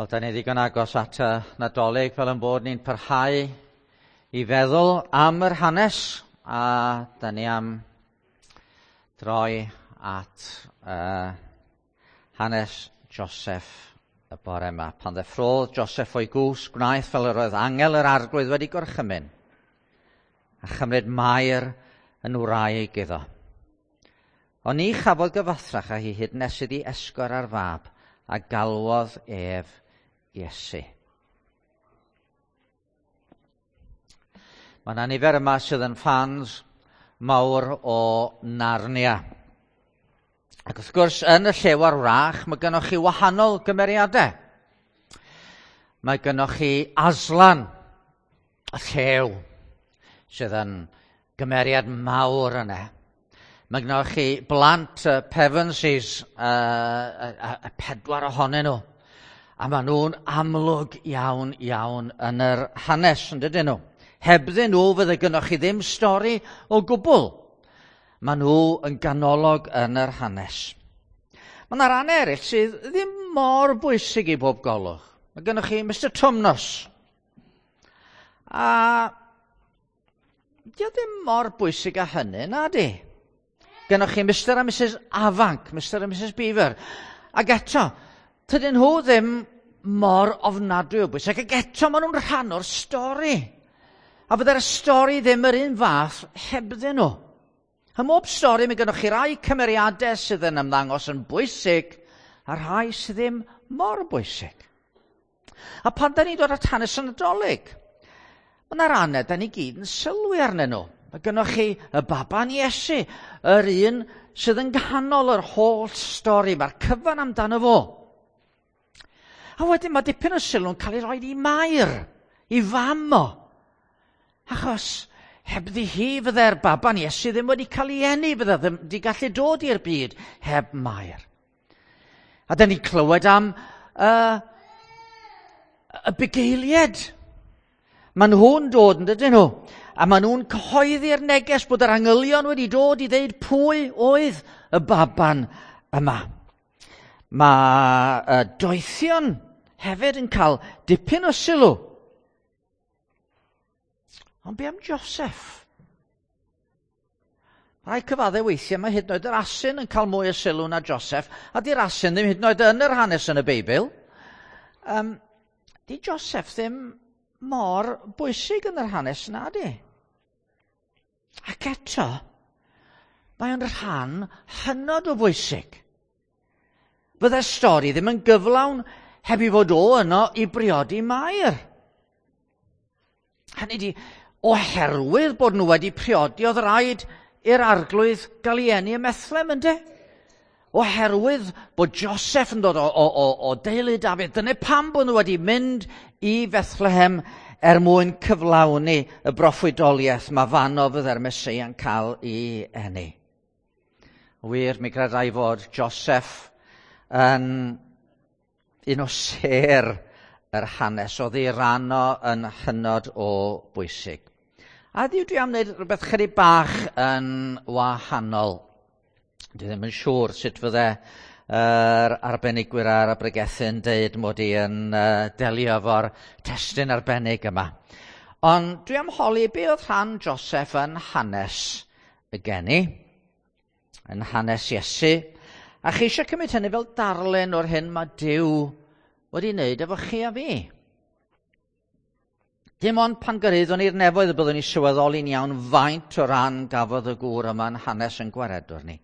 Wel, da ni ddigon agos at y Nadolig fel yn bod ni'n parhau i feddwl am yr hanes a da ni am droi at hanes Joseph y bore yma. Pan ddeffrodd Joseph o'i gwsg, gwnaeth fel yr oedd angel yr arglwydd wedi gorchymyn a chymryd Mair yn wraig iddo. Ond ni chafodd gyfathrach â hi hyd nes iddi esgor ar fab a galwodd ef Iesu. Mae yna nifer yma sydd yn ffans mawr o Narnia. Ac wrth gwrs, yn y llew ar wrach, mae gennych chi wahanol gymeriadau. Mae gennych chi Aslan, y llew, sydd yn gymeriad mawr yna. Mae gennych chi blant y Pevensies, y pedwar ohonyn nhw. A maen nhw'n amlwg iawn, iawn yn yr hanes, yn dydyn nhw? Hebddyn nhw fydde gynnoch chi ddim stori o gwbl. Maen nhw yn ganolog yn yr hanes. Mae yna ran eraill sydd ddim mor bwysig i bob golwg. Mae gennych chi Mr Tumnus. A Di o ddim mor bwysig â hynny, na di? Gennych chi Mr a Mrs Afanc, Mr a Mrs Beaver. Ac eto, tydyn nhw ddim mor ofnadwy o bwysig, ac eto maen nhw'n rhan o'r stori. A fydde'r stori ddim yr un fath hebddyn nhw. Ym mhob stori mae gennych chi rai cymeriadau sydd yn ymddangos yn bwysig a rhai sydd ddim mor bwysig. A pan da ni'n dod at hanes y Nadolig, mae yna rannau da ni gyd yn sylwi arnyn nhw. Mae gennych chi y baban Iesu, yr un sydd yn nghanol yr holl stori, mae'r cyfan amdano fo. A wedyn mae dipyn o sylw'n cael ei roi i Mair, i fam o. Achos hebddi hi fydde'r baban Iesu ddim wedi cael ei eni, fydde ddim wedi gallu dod i'r byd heb Mair. A da ni'n clywed am y bugeiliaid. Maen nhw'n dod, yn dydyn nhw? A maen nhw'n cyhoeddi'r neges bod yr angylion wedi dod i ddeud pwy oedd y baban yma. Mae y doethion hefyd yn cael dipyn o sylw. Ond be am Joseph? Rhaid cyfadde weithiau mae hyd yn oed yr asyn yn cael mwy o sylw na Joseph, a di'r asyn ddim hyd yn oed yn yr hanes yn y Beibl. Di Joseph ddim mor bwysig yn yr hanes na di. Ac eto, mae o'n rhan hynod o bwysig. Fydde'r stori ddim yn gyflawn heb i fod o yno i briodi Mair. Hynny di, oherwydd bod nhw wedi priodi, oedd rhaid i'r arglwydd gael ei eni ym Methlehem, ynde? Oherwydd bod Joseph yn dod o deulu Dafydd, dyna pam bod nhw wedi mynd i Fethlehem er mwyn cyflawni y broffwydoliaeth mae fanno fydde'r Meseia'n cael ei eni. Wir, mi gredai fod Joseph yn un o sêr yr hanes, oedd ei ran o yn hynod o bwysig. A heddiw dwi am wneud rhywbeth chydig bach yn wahanol. Dwi ddim yn siŵr sut fydde yr arbenigwyr ar y bregethu yn deud mod i yn delio efo'r testun arbennig yma. Ond dwi am holi be oedd rhan Joseph yn hanes y geni, yn hanes Iesu, a chi eisiau cymryd hynny fel darlun o'r hyn mae Duw wedi wneud efo chi a fi. Dim ond pan gyrhaeddwn ni'r nefoedd y byddwn ni sylweddoli'n iawn faint o ran gafodd y gŵr yma yn hanes yn gwaredwr ni.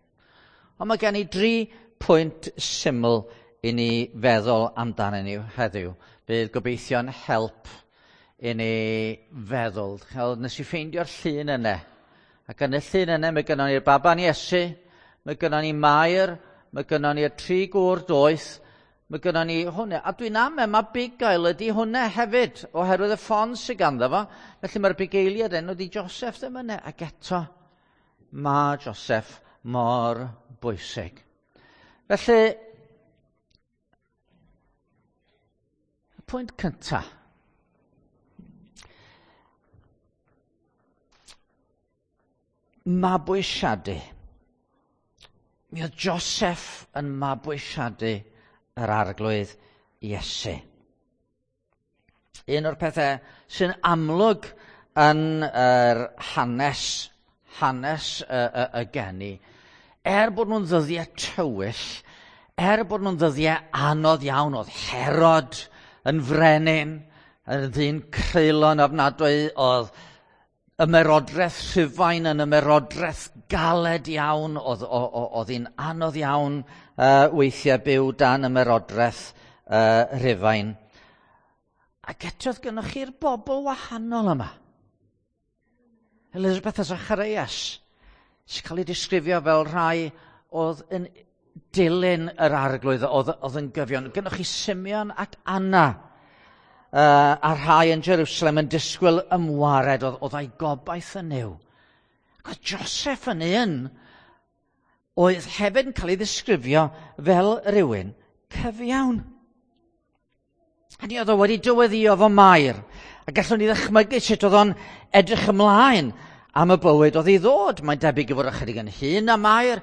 Ond mae gen i 3 pwynt syml i ni feddwl amdanyn ni heddiw. Bydd gobeithio'n help i ni feddwl. Nes i ffeindio'r llun yna. Ac yn y llun yna mae gynnon ni'r baban Iesu, mae gynnon ni Mair, mae gynnon ni'r 3 gŵr doeth, mae gynnon ni hwnna. A dwi'n amau mae bugail ydy hwnna hefyd, oherwydd y ffon sydd ganddo fo. Felly mae'r bugeiliad enw di Joseph ddim yna. Ac eto, mae Joseph mor bwysig. Felly, y pwynt cyntaf. Mabwysiadu. Mi oedd Joseph yn mabwysiadu yr arglwydd Iesu. Un o'r pethau sy'n amlwg yn yr hanes, hanes y, y, y geni, er bod nhw'n ddyddiau tywyll, er bod nhw'n ddyddiau anodd iawn, oedd Herod yn frenin, yn ddyn creulon ofnadwy, oedd ymerodraeth Rhufain yn ymerodraeth galed iawn, oedd, oedd hi'n anodd iawn weithiau byw dan ymerodraeth Rhufain. Ac eto oedd gennych chi'r bobl wahanol yma. Elizabeth a Zacharias, sy'n cael ei disgrifio fel rhai oedd yn dilyn yr arglwydd, oedd, oedd yn gyfion. Gynnwch chi Simeon ac Anna, a rhai yn Jerusalem yn disgwyl ymwared, oedd, oedd ei gobaith yn Nuw. Ac oedd Joseph yn un oedd hefyd yn cael ei ddisgrifio fel rhywun cyfiawn. Hynny oedd o wedi dyweddio fo Mair. A gallwn ni ddychmygu sut oedd o'n edrych ymlaen am y bywyd oedd i ddod. Mae'n debyg i fod ychydig yn hŷn na Mair.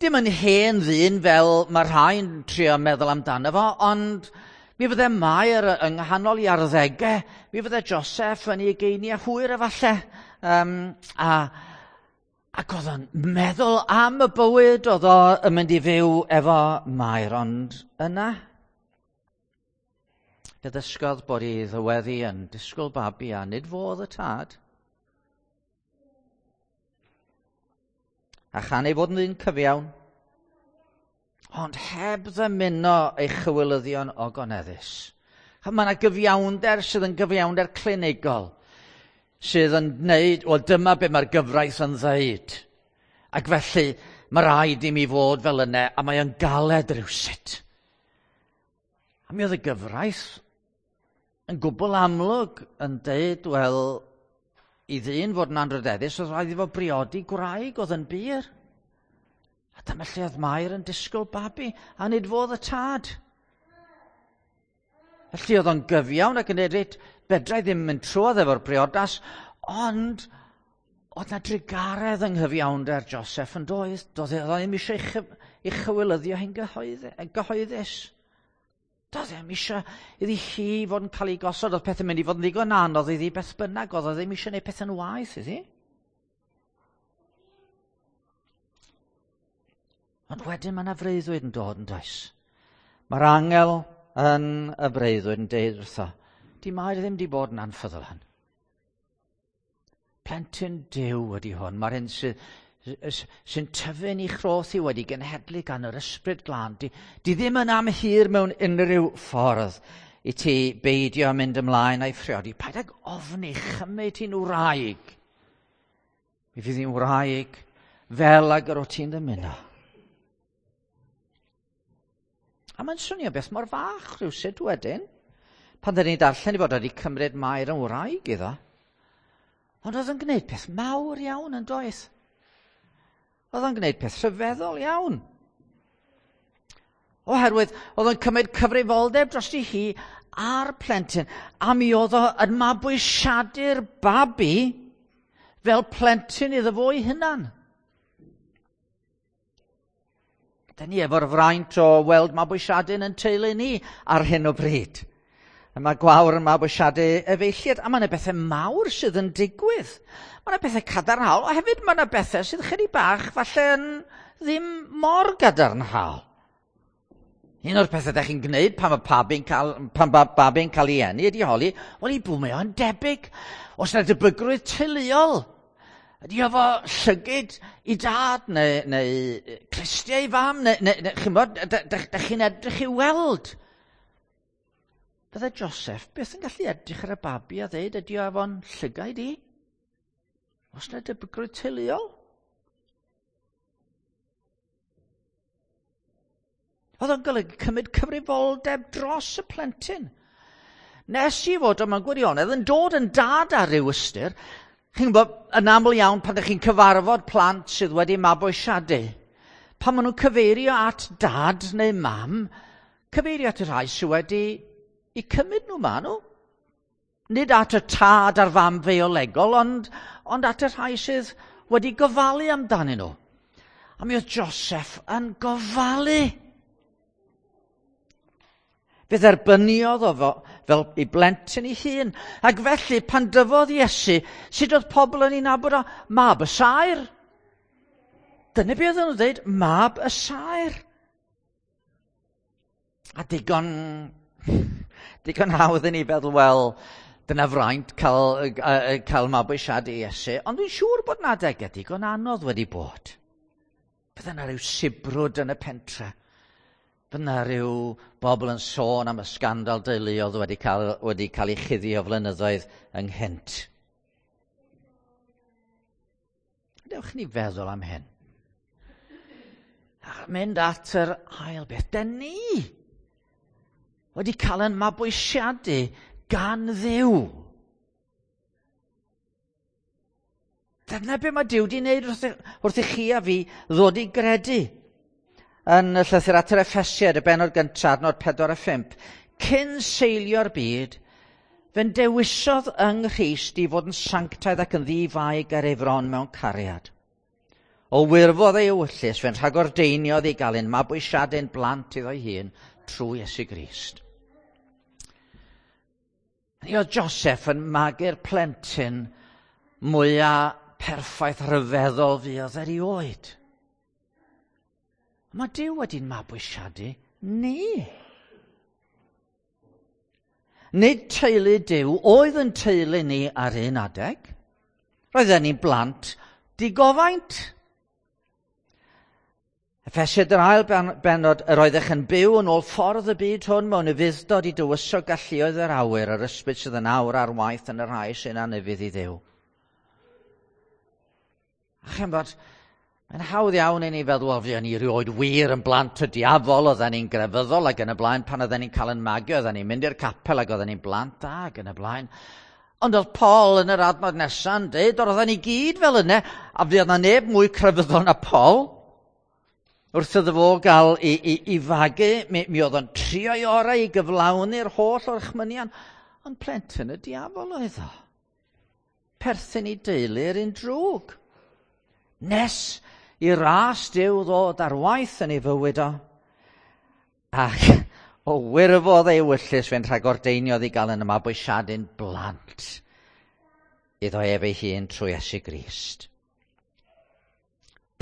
Dim yn hen ddyn fel mae rhai'n trio meddwl amdano fo, ond mi fydde Mair yng nghanol i arddegau, mi fydde Joseph yn ei ugeiniau hwyr efallai. Um, a, ac oedd o'n meddwl am y bywyd oedd o yn mynd i fyw efo Mair, ond yna Fe ddysgodd bod ei ddyweddi yn disgwyl babi a nid fo oedd y tad. A chan ei fod yn ddyn cyfiawn, ond heb ddymuno ei chywilyddion ogoneddus. Mae yna gyfiawnder sydd yn gyfiawnder clinigol, sydd yn gwneud, wel dyma be mae'r gyfraith yn ddeud. Ac felly mae rhaid i mi fod fel yna, a mae o'n galed rhywsut. A mi oedd y gyfraith yn gwbl amlwg yn deud, wel, i ddyn fod yn anrhydeddus, oedd rhaid i fo briodi gwraig oedd yn bur. A dyma lle oedd Mair yn disgwyl babi, a nid fodd y tad. Felly oedd o'n gyfiawn ac yn dweud, reit, fedra i ddim mynd trwodd efo'r briodas, ond oedd na drugaredd yng nghyfiawnder Joseph yn doedd. Doedd e ddim eisiau ei chywilyddio hi'n gyhoeddus. Doedd e ddim eisiau iddi hi fod yn cael ei gosod, oedd pethau'n mynd i fod yn ddigon anodd iddi beth bynnag, oedd o ddim eisiau gwneud pethau'n waeth iddi. Ond wedyn mae yna freuddwyd yn dod yn does. Mae'r angel yn y breuddwyd yn deud wrtho, di Mair ddim di bod yn anffyddol. Plentyn Duw ydy hwn. Mae'r hyn sydd sy'n tyfu'n ei chroth i wedi genhedlu gan yr ysbryd glân. Di, di ddim yn amhur mewn unrhyw ffordd i ti beidio mynd ymlaen a'i phriodi. Paid ag ofni, chymryd hi'n wraig. Mi fydd hi'n wraig fel ag yr o ti'n ddymuno. A mae'n swnio beth mor fach rhywsut wedyn. Pan dyn ni'n darllen i fod wedi cymryd Mair yn wraig iddo. Ond oedd yn gwneud peth mawr iawn yn doedd. Oedd o'n gwneud peth rhyfeddol iawn. Oherwydd oedd o'n cymryd cyfrifoldeb dros i hi a'r plentyn, a mi oedd o yn mabwysiadu'r babi fel plentyn iddo fo ei hunan. Da ni efo'r fraint o weld mabwysiadu'n yn teulu ni ar hyn o bryd. Mae Gwawr yn mabwysiadu efeilliad, a mae yna bethau mawr sydd yn digwydd. Mae yna bethau cadarnhaol, a hefyd mae yna bethau sydd chydig bach falle yn ddim mor gadarnhaol. Un o'r pethau ydych chi'n gwneud pan mae babi'n cael, pan ba, babi'n cael ei eni ydy holi, wel i bw mae o'n debyg. Os yna debygrwydd teuluol, ydy o fo llygid i dad neu, neu clustiau i fam, neu, neu, neu chi'n bod, da chi'n edrych i weld. Bydde Joseph byth yn gallu edrych ar y babi a ddeud ydy o efo'n llygaid i? Os na debygrwydd teuluol? Oedd o'n golygu cymryd cyfrifoldeb dros y plentyn. Nes i fod o mewn gwirionedd yn dod yn dad ar ryw ystyr. Chi'n gwybod, yn aml iawn pan ydych chi'n cyfarfod plant sydd wedi mabwysiadu, pan maen nhw'n cyfeirio at dad neu mam, cyfeirio at y rhai sydd wedi i cymryd nhw ma nhw. Nid at y tad a'r fam feiolegol, ond, ond at y rhai sydd wedi gofalu amdanyn nhw. A mi oedd Joseph yn gofalu. Fe dderbyniodd o fo fel ei blentyn ei hun. Ac felly, pan dyfodd Iesu, sut oedd pobl yn ei nabod o? Mab y saer. Dyna beth oedden nhw'n dweud, mab y saer. A digon hawdd i ni feddwl, wel, dyna fraint cael mabwysiadu Iesu. Ond dwi'n siŵr bod 'na adegau digon anodd wedi bod. Bydde yna rhyw sibrwd yn y pentre. Bydde yna rhyw bobl yn sôn am y sgandal deuluodd wedi cael ei chuddio flynyddoedd ynghynt. Dewch ni feddwl am hyn. A mynd at yr ail beth. Den ni wedi cael ein mabwysiadu gan Dduw. Dyna be mae Duw wedi wneud wrth i chi a fi ddod i gredu. Yn y llythyr at yr Effesiaid, y bennod gyntaf, adnod 4 a 5. Cyn seilio'r byd, fe'n dewisodd yng Nghrist i fod yn sanctaidd ac yn ddi-fai ger ei fron mewn cariad. O wirfodd ei ewyllys, fe'n rhagordeiniodd i gael ein mabwysiadu'n blant iddo'i hun trwy Iesu Grist. Ni oedd Joseph yn magu'r plentyn mwyaf perffaith rhyfeddol fuodd erioed. Mae Duw wedi'n mabwysiadu ni. Nid teulu Duw oedd yn teulu ni ar un adeg. Roedden ni'n blant digofaint. Effesiaid yr ail bennod, yr oeddech yn byw yn ôl ffordd y byd hwn mewn ufudd-dod i dywysog galluoedd yr awyr, yr ysbryd sydd yn awr ar waith yn y rhai sy'n anufudd i Dduw. A chymod, mae'n hawdd iawn i ni feddwl, wel, fuon ni rioed wir yn blant y diafol, oedden ni'n grefyddol ac yn y blaen, pan oedden ni'n cael yn magu, oedden ni'n mynd i'r capel ac oedden ni'n blant da ac yn y blaen. Ond oedd Paul yn yr adnod nesa'n dweud, oedden ni gyd fel yna, a fuodd na neb mwy crefyddol na Paul. Wrth iddo fo gael i fagu, mi oedd o'n trio ei orau i gyflawni'r holl orchmynion, ond plentyn y diafol oedd o. Perthyn i deulu'r un drwg. Nes i ras Duw ddod ar waith yn ei fywyd o, ac o wirfodd ei ewyllys fe'n rhagordeiniodd i gael yn mabwysiadu'n blant iddo ef ei hun trwy Iesu Grist.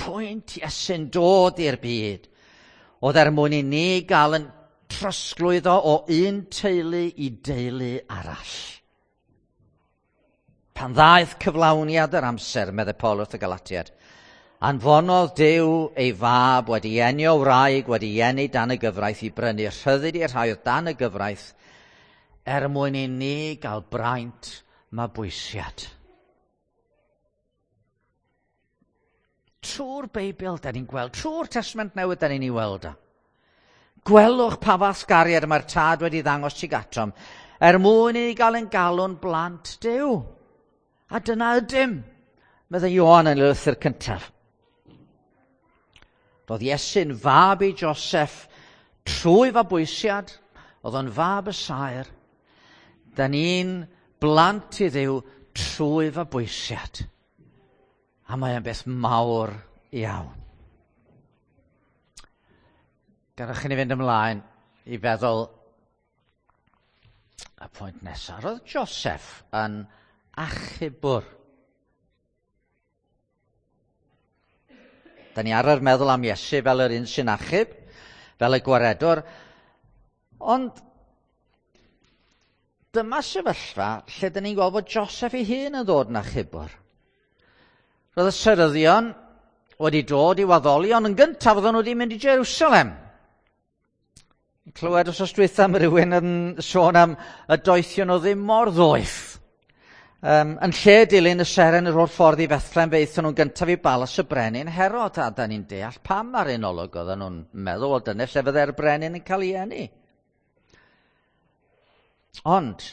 Pwynt Iesu'n dod i'r byd oedd er mwyn i ni gael yn trosglwyddo o un teulu i deulu arall. Pan ddaeth cyflawniad yr amser, meddai Paul wrth y Galatiaid, anfonodd Duw ei fab wedi eni o wraig, wedi eni dan y gyfraith i brynu rhyddid i'r rhai oedd dan y gyfraith, er mwyn i ni gael braint mabwysiad. Trwy'r Beibl, da ni'n gweld, trwy'r Testament Newydd, da ni'n ei weld o. Gwelwch pa fath gariad mae'r Tad wedi ddangos tuag atom, er mwyn i ni gael ein galw'n blant Duw. A dyna ydym, meddai Ioan yn y lythyr cyntaf. Roedd Iesu'n fab i Joseph trwy fabwysiad, oedd o'n fab y saer. Da ni'n blant i Dduw trwy fabwysiad. A mae o'n beth mawr iawn. Gadewch i ni fynd ymlaen i feddwl y pwynt nesaf. Roedd Joseph yn achubwr. Da ni arfer meddwl am Iesu fel yr un sy'n achub, fel y gwaredwr, ond dyma sefyllfa lle da ni'n gweld bod Joseph ei hun yn ddod yn achubwr. Roedd y seryddion wedi dod i waddoli, ond yn gyntaf oedden nhw wedi mynd i Jerusalem. Clywed wsos dwytha am rywun yn sôn am y doethion o ddim mor ddoeth. Yn lle dilyn y seren yr holl ffordd i Bethlehem, fe aethon nhw'n gyntaf i balas y brenin Herod, a da ni'n deall pam ar un olwg oedden nhw'n meddwl, wel dyna lle fydde'r brenin yn cael ei eni. Ond,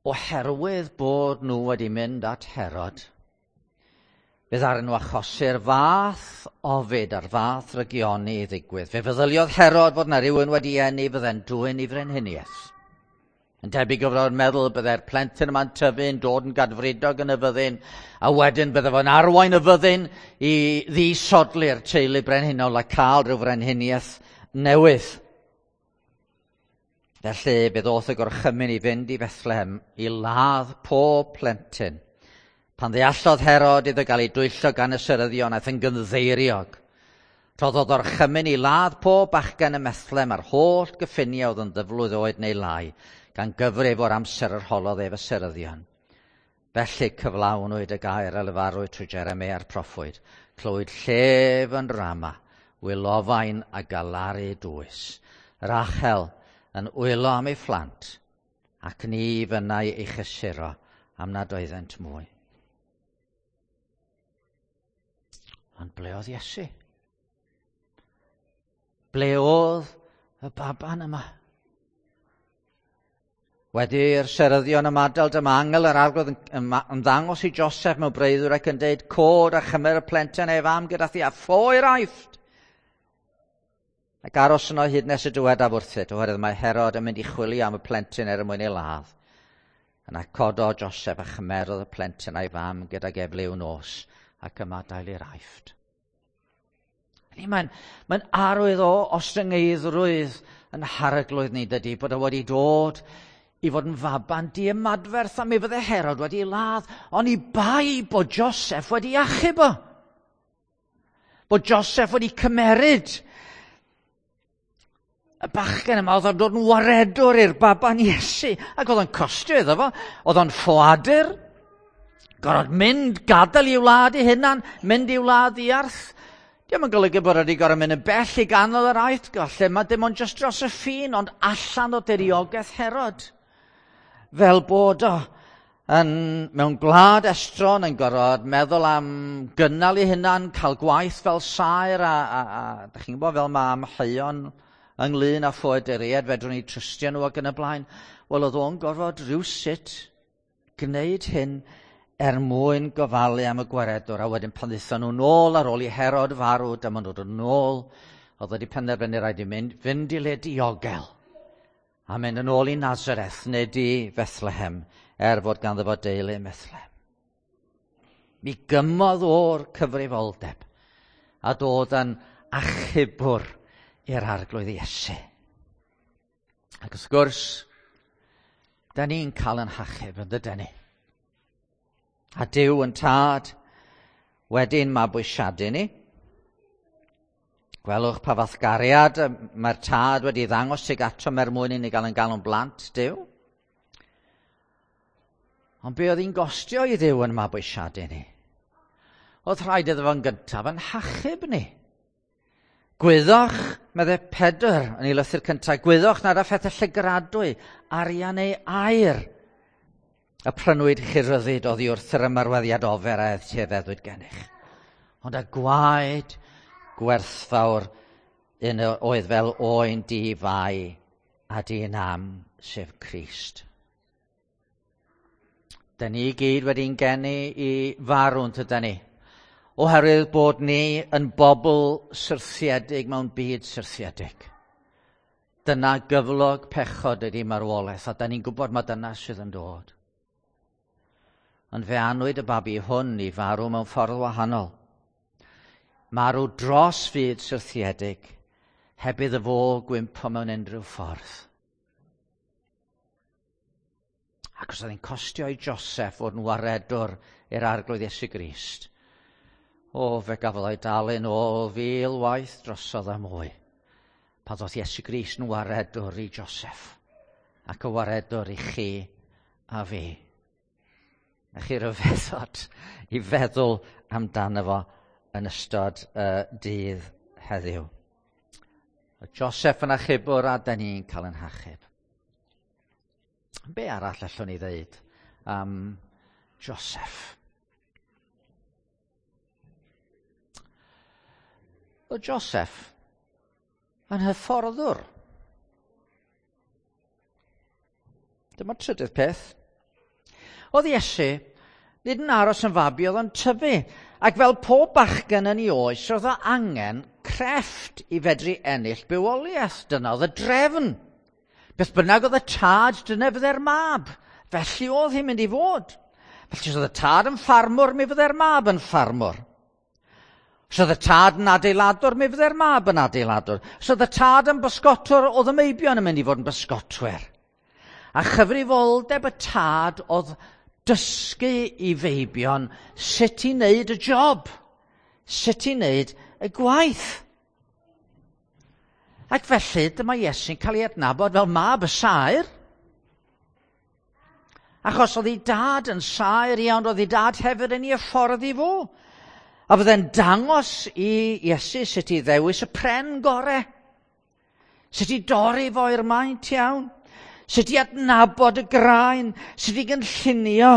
oherwydd bod nhw wedi mynd at Herod, fe ddaru nhw achosi'r fath ofid a'r fath rygioni i ddigwydd. Fe feddyliodd Herod fod na rywun wedi eni fydde'n dwyn i frenhiniaeth. Yn debyg o fod yn meddwl byddai'r plentyn yma'n tyfu yn dod yn gadfridog yn y fyddin, a wedyn bydde fo'n arwain y fyddin i ddisodli'r teulu brenhinol a cael rhyw frenhiniaeth newydd. Felly, fe ddoth y gorchymyn i fynd i Bethlehem i ladd pob plentyn. Pan ddeallodd Herod iddo gael ei dwyllo gan y seryddion, aeth yn gynddeiriog. Rhoddodd orchymyn i ladd pob bachgen ym Methlehem a'r holl gyffiniau oedd yn ddyflwydd oed neu lai, gan gyfrif o'r amser yr holodd ef y seryddion. Felly cyflawnwyd y gair a lefarwyd trwy Jeremia'r proffwyd. Clywyd llef yn Rama, wylofain a galaru dwys. Rachel yn wylo am ei phlant, ac ni fynnai ei chysuro am nad oeddent mwy. Ond ble oedd Iesu? Ble oedd y baban yma? Wedi'r seryddion ymadael, dyma angel yr arglwydd yn ymddangos i Joseph mewn breuddwyd ac yn deud, cod a chymer y plentyn ei fam gyda thi a ffo i'r Aifft. Ac aros yno hyd nes y dywedaf wrthyt, oherwydd mae Herod yn mynd i chwilio am y plentyn er mwyn ei ladd. Yna cododd Joseph a chymerodd y plentyn a'i fam gydag ef liw nos ac ymadael i'r Aifft. Mae'n mae arwydd o ostyngeiddrwydd yn harglwydd ni, dydy, bod o wedi dod i fod yn faban diymadferth a mi fydde Herod wedi ladd, ond i bai bod Joseph wedi achub o. Bod Joseph wedi cymeryd y bachgen yma, oedd o'n dod yn waredwr i'r baban Iesu, ac oedd o'n costio iddo fo, oedd o'n ffoadur, gorfod mynd, gadael i'w wlad ei hunan, mynd i'w wlad ddiarth. Dio'm yn golygu bod wedi gorfod mynd yn bell i ganol yr Aifft, falle mae dim ond jyst dros y ffin, ond allan o diriogaeth Herod. Fel bod o yn, mewn gwlad estron yn gorfod meddwl am gynnal ei hunan, cael gwaith fel saer, a da chi'n gwybod fel mae amheuon ynglyn â ffoaduriaid, fedrwn ni trystio nhw ac yn y blaen. Wel, oedd o'n gorfod rhywsut gwneud hyn er mwyn gofalu am y gwaredwr, a wedyn pan ddaethon nhw nôl ar ôl i Herod farw, dyma nhw'n dod nôl, oedd wedi penderfynu rhaid i fynd i le diogel, a mynd yn ôl i Nazareth, nid i Bethlehem, er fod ganddo fo deulu ym Methlehem. Mi gymodd o'r cyfrifoldeb a dod yn achubwr i'r arglwydd Iesu. Ac wrth gwrs, da ni'n cael yn hachub, yn dydyn ni? A Duw yn tad wedyn mabwysiadu ni. Gwelwch pa fath gariad mae'r tad wedi ddangos tuag atom er mwyn i ni gael yn galw'n blant Duw. Ond be oedd hi'n gostio i Dduw yn mabwysiadu ni? Oedd rhaid iddo fo'n gyntaf yn hachub ni. Gwyddoch, meddai Pedr yn ei lythyr cyntaf, gwyddoch nad â phethau llygradwy, arian neu aur, y prynwyd chi ryddid oddi wrth yr ymarweddiad ofer a etifeddwyd gennych. Ond y gwaed gwerthfawr un oedd fel oen di-fai a di-nam, sef Crist. Da ni gyd wedi'n geni i farw, tyda ni? Oherwydd bod ni yn bobl syrthiedig mewn byd syrthiedig. Dyna gyflog pechod ydy marwolaeth, a da ni'n gwybod mae dyna sydd yn dod. Ond fe anwyd y babi hwn i farw mewn ffordd wahanol. Marw dros fyd syrthiedig, heb iddo fo gwympo mewn unrhyw ffordd. Ac os oedd hi'n costio i Joseph fod yn waredwr i'r arglwydd Iesu Grist, o, fe gafodd o'i dalu'n ôl fil waith drosodd a mwy. Pan ddoth Iesu Grist yn waredwr i Joseph, ac y waredwr i chi a fi. A chi ryfeddod i feddwl amdano fo yn ystod dydd heddiw. Joseph yn achubwr a da ni'n cael yn hachub. Be arall allwn ni ddeud am Joseph? O Joseph yn hyfforddwr. Dyma'r trydydd peth. Oedd Iesu nid yn aros yn fabi, oedd o'n tyfu. Ac fel pob bachgen yn ei oes, roedd o angen crefft i fedru ennill bywoliaeth. Dyna oedd y drefn. Beth bynnag oedd y tad, dyna fydde'r mab. Felly oedd hi'n mynd i fod. Felly os oedd y tad yn ffarmwr, mi fydde'r mab yn ffarmwr. Os oedd y tad yn adeiladwr, mi fydde'r mab yn adeiladwr. Os oedd y tad yn bysgotwr, oedd y meibion yn mynd i fod yn bysgotwyr. A chyfrifoldeb y tad oedd dysgu i feibion sut i wneud y job, sut i wneud y gwaith. Ac felly, dyma Iesu'n cael ei adnabod fel mab y saer. Achos oedd ei dad yn saer iawn, oedd ei dad hefyd yn ei hyfforddi fo. A fydde'n dangos i Iesu sut i ddewis y pren gore. Sut i dorri fo i'r maint iawn. Sut i adnabod y graen. Sut i gynllunio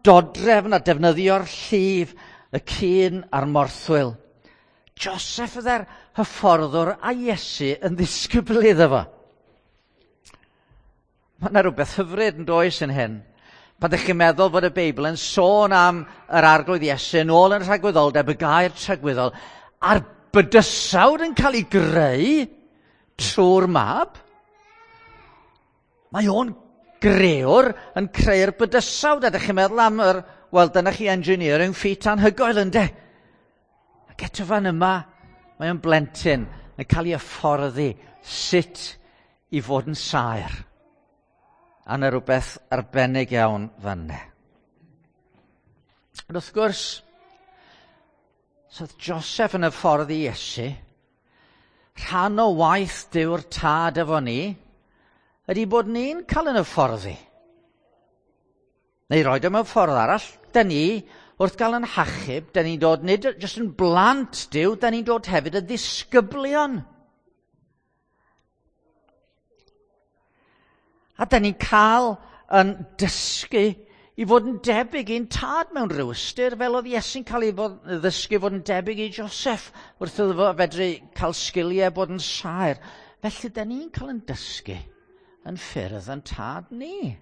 dodrefn a defnyddio'r llif, y cyn a'r morthwyl. Joseph fydde'r hyfforddwr a Iesu yn ddisgybl iddo fo. Mae yna rhywbeth hyfryd yn does yn hyn. Pan ydych chi'n meddwl fod y Beibl yn sôn am yr Arglwydd Iesu yn ôl yn rhagwyddoldeb, y gair tragwyddol, a'r bydysawd yn cael ei greu trwy'r mab, mae o'n grewr yn creu'r bydysawd. A ydych chi'n meddwl am yr, wel, dyna chi engineering feat anhygoel, ynde? Ac eto fan yma, mae o'n blentyn yn cael ei hyfforddi sut i fod yn saer. A yna rhywbeth arbennig iawn fan yna. Ond wrth gwrs, so oedd Joseph yn y ffordd i Iesu, rhan o waith Duw'r tad efo ni, ydy bod ni'n cael yn y ffordd i. Neu roed o mewn ffordd arall, da ni, wrth gael yn hachub, da ni'n dod nid jyst yn blant Duw, da ni'n dod hefyd yn ddisgyblion. A da ni'n cael yn dysgu i fod yn debyg i'n tad mewn rhyw ystyr, fel oedd Iesu'n cael ei fod, ddysgu fod yn debyg i Joseph, wrth iddo fo fedru cael sgiliau bod yn saer. Felly, da ni'n cael yn dysgu yn ffyrdd yn tad ni.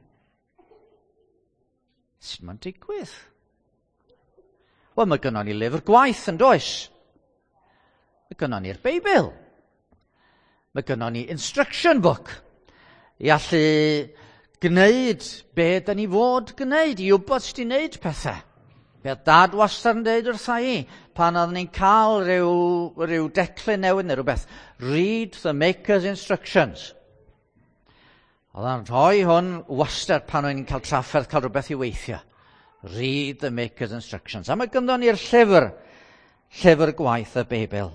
Sut mae'n digwydd? Wel, mae gynnon ni lyfr gwaith yn does? Mae gynnon ni'r Beibl. Mae gynnon ni instruction book i allu gwneud be da ni fod gwneud, i wybod sut i wneud pethau. Be oedd dad wastad yn dweud wrtha i, pan oeddwn ni'n cael rhyw declyn newydd neu rhywbeth, read the maker's instructions. Oedd o'n rhoi hwn wastad pan o'n i'n cael trafferth cael rhywbeth i weithio. Read the maker's instructions. A mae gynddon ni'r llyfr gwaith y Beibl.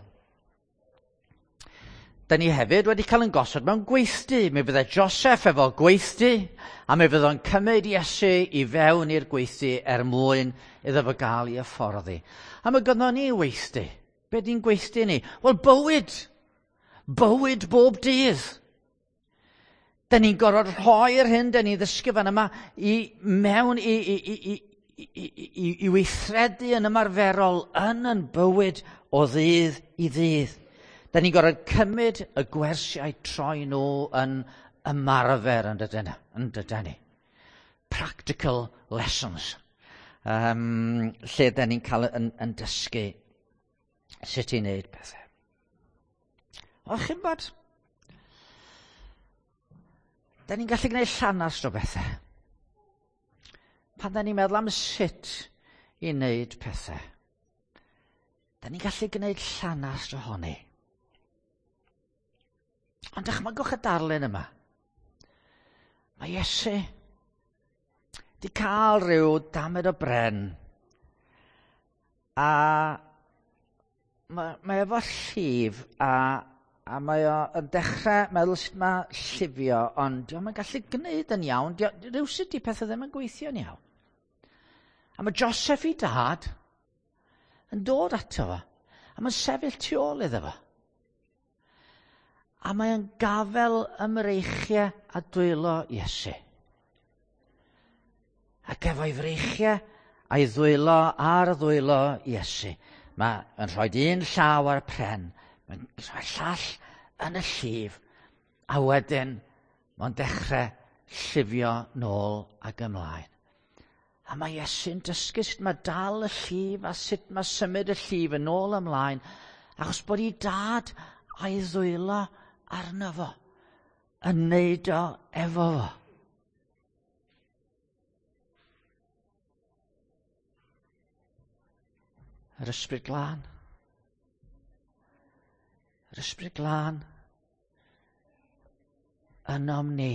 Da ni hefyd wedi cael yn gosod mewn gweithdy. Mi fydde Joseph efo gweithdy, a mi fydde o'n cymryd Iesu i fewn i'r gweithdy er mwyn iddo fo gael ei hyfforddi. A mae gynddon ni weithdy. Be di'n gweithdy ni? Wel, bywyd. Bywyd bob dydd. Da ni'n gorfod rhoi'r hyn da ni'n ddysgu fan yma i mewn i weithredu yn ymarferol yn yn bywyd o ddydd i ddydd. Da ni'n gorfod cymryd y gwersiau troi nhw yn ymarfer yn dydyn, yn dydyn ni. Practical lessons. Lle da ni'n cael yn dysgu sut i wneud pethau. O, chi'n bod? Da ni'n gallu gwneud llanast o bethau. Pan da ni'n meddwl am sut i wneud pethau, da ni'n gallu gwneud llanast ohoni. Ond dychmygwch y darlun yma. Mae Iesu di cael rhyw damed o bren a mae efo llif a mae o yn dechrau meddwl sut mae llifio, ond dio'm yn gallu gwneud yn iawn. Rywsut di pethau ddim yn gweithio'n iawn. A mae Joseph i dad yn dod ato fo, a mae'n sefyll tu ôl iddo fo. A mae o'n gafel ymreichiau a dwylo Iesu. Ac efo'i freichiau a'i ddwylo ar ddwylo Iesu, mae yn rhoi un llaw ar y pren, mae'n rhoi llall yn y llif, a wedyn mae'n dechrau llifio nôl ac ymlaen. A mae Iesu'n dysgu sut mae dal y llif a sut mae symud y llif yn ôl ymlaen, achos bod ei dad a'i ddwylo arno fo, yn neud o efo fo. Yr Ysbryd Glân. Yr Ysbryd Glân ynom ni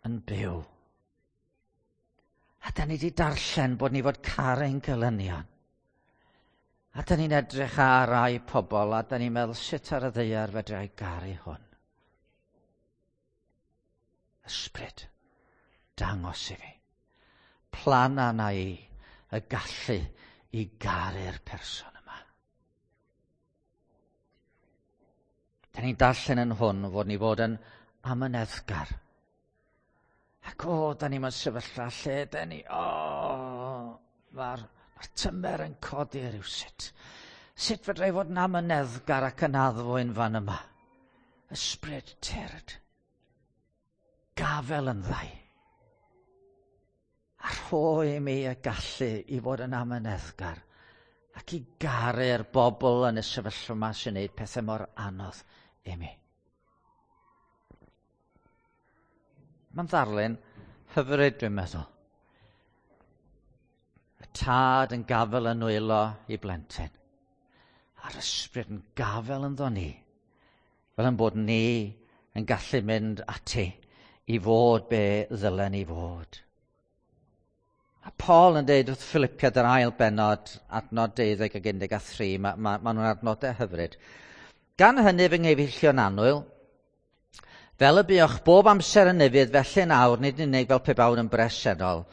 yn byw. A da ni wedi darllen bod ni fod caru'n gelynion. A da ni'n edrych ar rai pobl a da ni'n meddwl, sut ar y ddaear fedra i garu hwn? Ysbryd, dangos i fi. Plan arna i y gallu i garu'r person yma. Da ni'n darllen yn hwn fod ni fod yn amyneddgar. Ac o, da ni mewn sefyllfa lle da ni, o, mae'r ma tymer yn codi rhywsut. Sut fedra i fod yn amyneddgar ac yn addfwyn fan yma? Ysbryd, tyrd. Gafel yn ddau. A rhoi i mi y gallu i fod yn amyneddgar ac i garu'r bobl yn y sefyllfa yma sy'n gwneud pethau mor anodd i mi. Mae'n ddarlun hyfryd, dwi'n meddwl. Y tad yn gafel yn nwylo i blentyn. A'r Ysbryd yn gafel ynddo ni. Fel yn bod ni yn gallu mynd ati i fod be ddylen ni fod. A Paul yn deud wrth Philippiad yr ail bennod, adnod 12 ac 13, mae ma, ma nhw'n adnodau hyfryd. Gan hynny fy nghyfeillion annwyl, fel y buoch bob amser yn ufudd, felly yn awr, nid yn unig fel pe bawn yn bresennol,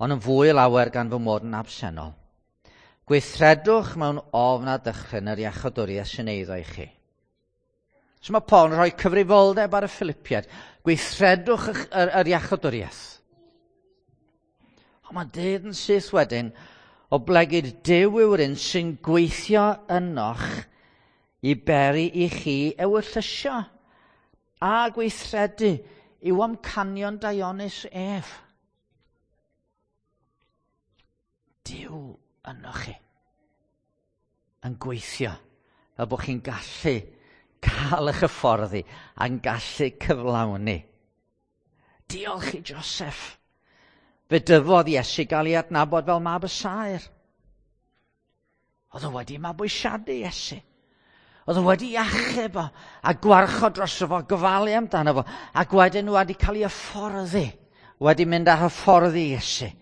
ond yn fwy lawer gan fy mod yn absennol. Gweithredwch mewn ofn a dychryn yr iachawdwriaeth sy'n eiddo i chi. So mae Paul yn rhoi cyfrifoldeb ar y Philippiaid. Gweithredwch yr iachawdwriaeth. Ond mae'n dweud yn syth wedyn, oblegid Duw yw'r un sy'n gweithio ynoch i beri i chi ewyllysio a gweithredu i'w amcanion daionus ef. Duw ynoch chi yn gweithio fel bod chi'n gallu cael eich hyfforddi a'n gallu cyflawni. Diolch i Joseph. Fe dyfodd Iesu gael ei adnabod fel mab y saer. Oedd o wedi mabwysiadu Iesu. Oedd o wedi achub o a gwarchod drosto fo, gofalu amdano fo, ac wedyn wedi cael ei hyfforddi, wedi mynd â hyfforddi Iesu.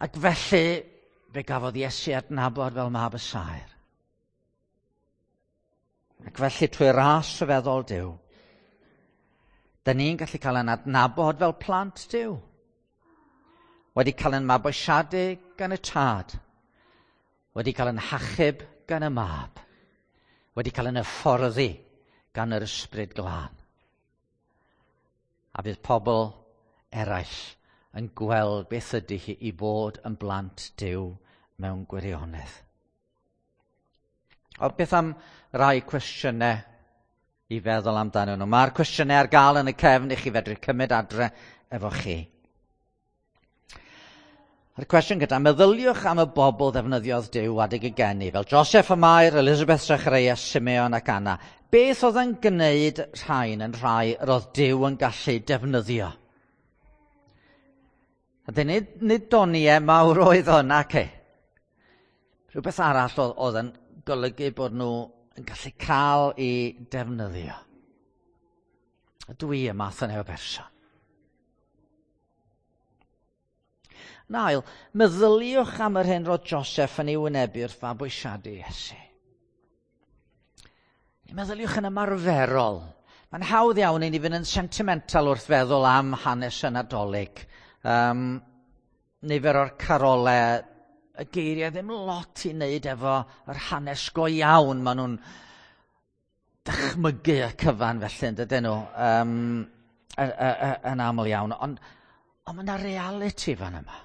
Ac felly fe gafodd Iesu adnabod fel mab y saer. Ac felly trwy ras rhyfeddol Duw, da ni'n gallu cael ein adnabod fel plant Duw. Wedi cael ein mabwysiadu gan y Tad. Wedi cael ein hachub gan y Mab. Wedi cael ein hyfforddi gan yr Ysbryd Glân. A bydd pobl eraill yn gweld beth ydy hi i fod yn blant Duw mewn gwirionedd. O, beth am rai cwestiynau i feddwl amdanyn nhw? Mae'r cwestiynau ar gael yn y cefn i chi fedru cymryd adre efo chi. A'r cwestiwn gyda, meddyliwch am y bobl ddefnyddiodd Duw adeg y geni, fel Joseph a Mair, Elizabeth, Zacharias, Simeon ac Anna. Beth oedd yn gwneud rhain yn rhai yr oedd Duw yn gallu defnyddio? A dyn nid doniau mawr oedd hwn, ac e. Rhywbeth arall oedd yn golygu bod nhw yn gallu cael eu defnyddio. A dwi y math yna o berson. Yn ail, meddyliwch am yr hyn roedd Joseph yn ei wynebu wrth fabwysiadu Iesu. Meddyliwch yn ymarferol. Mae'n hawdd iawn i ni fynd yn sentimental wrth feddwl am hanes y Nadolig. Nifer o'r carolau, y geiriau ddim lot i wneud efo yr hanes go iawn. Maen nhw'n dychmygu y cyfan felly, yn dydyn nhw, yn aml iawn. Ond mae yna reality fan yma.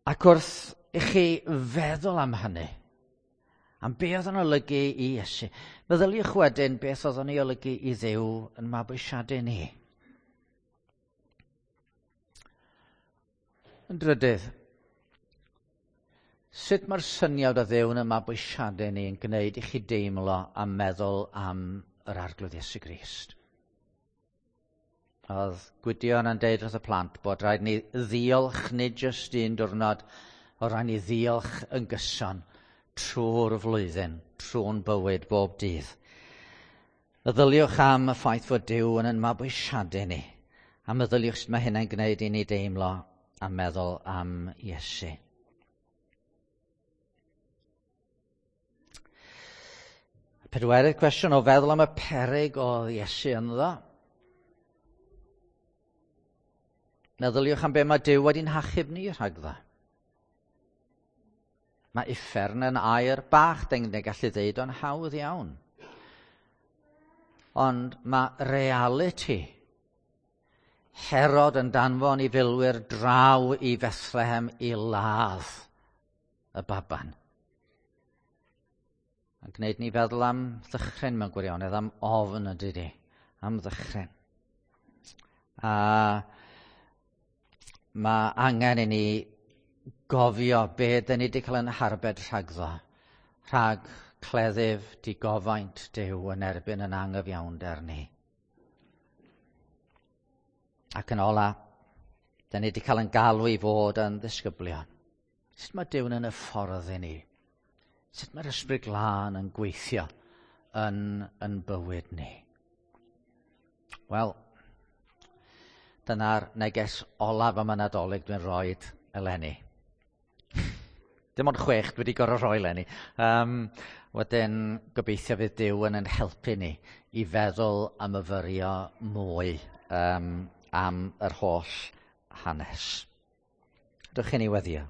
Ac wrth i chi feddwl am hynny, am be oedd yn olygu i Iesu, meddyliwch wedyn beth oedd yn ei olygu i Dduw yn mabwysiadu ni. Yn drydydd, sut mae'r syniad o Dduw yn mabwysiadu ni yn gwneud i chi deimlo a meddwl am yr Arglwydd Iesu Grist? Oedd Gwydion yn deud wrth y plant bod rhaid ni ddiolch nid jyst un diwrnod, oedd rhaid ni ddiolch yn gyson trwy'r flwyddyn, trwy'n bywyd bob dydd. Meddyliwch am y ffaith fod Duw yn yn mabwysiadu ni, a meddyliwch sut mae hynna'n gwneud i ni deimlo a meddwl am Iesu. Pedwerydd cwestiwn o feddwl am y peryg o Iesu ynddo. Meddyliwch am be mae Duw wedi'n hachub ni rhagddo. Mae uffern yn air bach, dyn ni'n gallu ddeud o'n hawdd iawn. Ond mae reality Herod yn danfon i filwyr draw i Bethlehem i ladd y baban. Yn gwneud ni feddwl am ddychryn mewn gwirionedd, am ofn yn dydi, am ddychryn. A mae angen i ni gofio be dyn ni wedi cael yn harbed rhagddo, rhag cleddyf digofaint Duw yn erbyn yn angyfiawnder ni. Ac yn ola, dyn ni wedi cael yn galw i fod yn ddisgyblion. Sut mae Duw yn y ffordd i ni? Sut mae'r Ysbryd Glân yn gweithio yn, yn bywyd ni? Wel, dyna'r neges olaf am y Nadolig dwi'n rhoi eleni. Dim ond 6 dwi wedi gorfod rhoi eleni. Wedyn, gobeithio fydd Duw yn ein helpu ni i feddwl a myfyrio mwy am yr holl hanes. Dewch i ni weddio.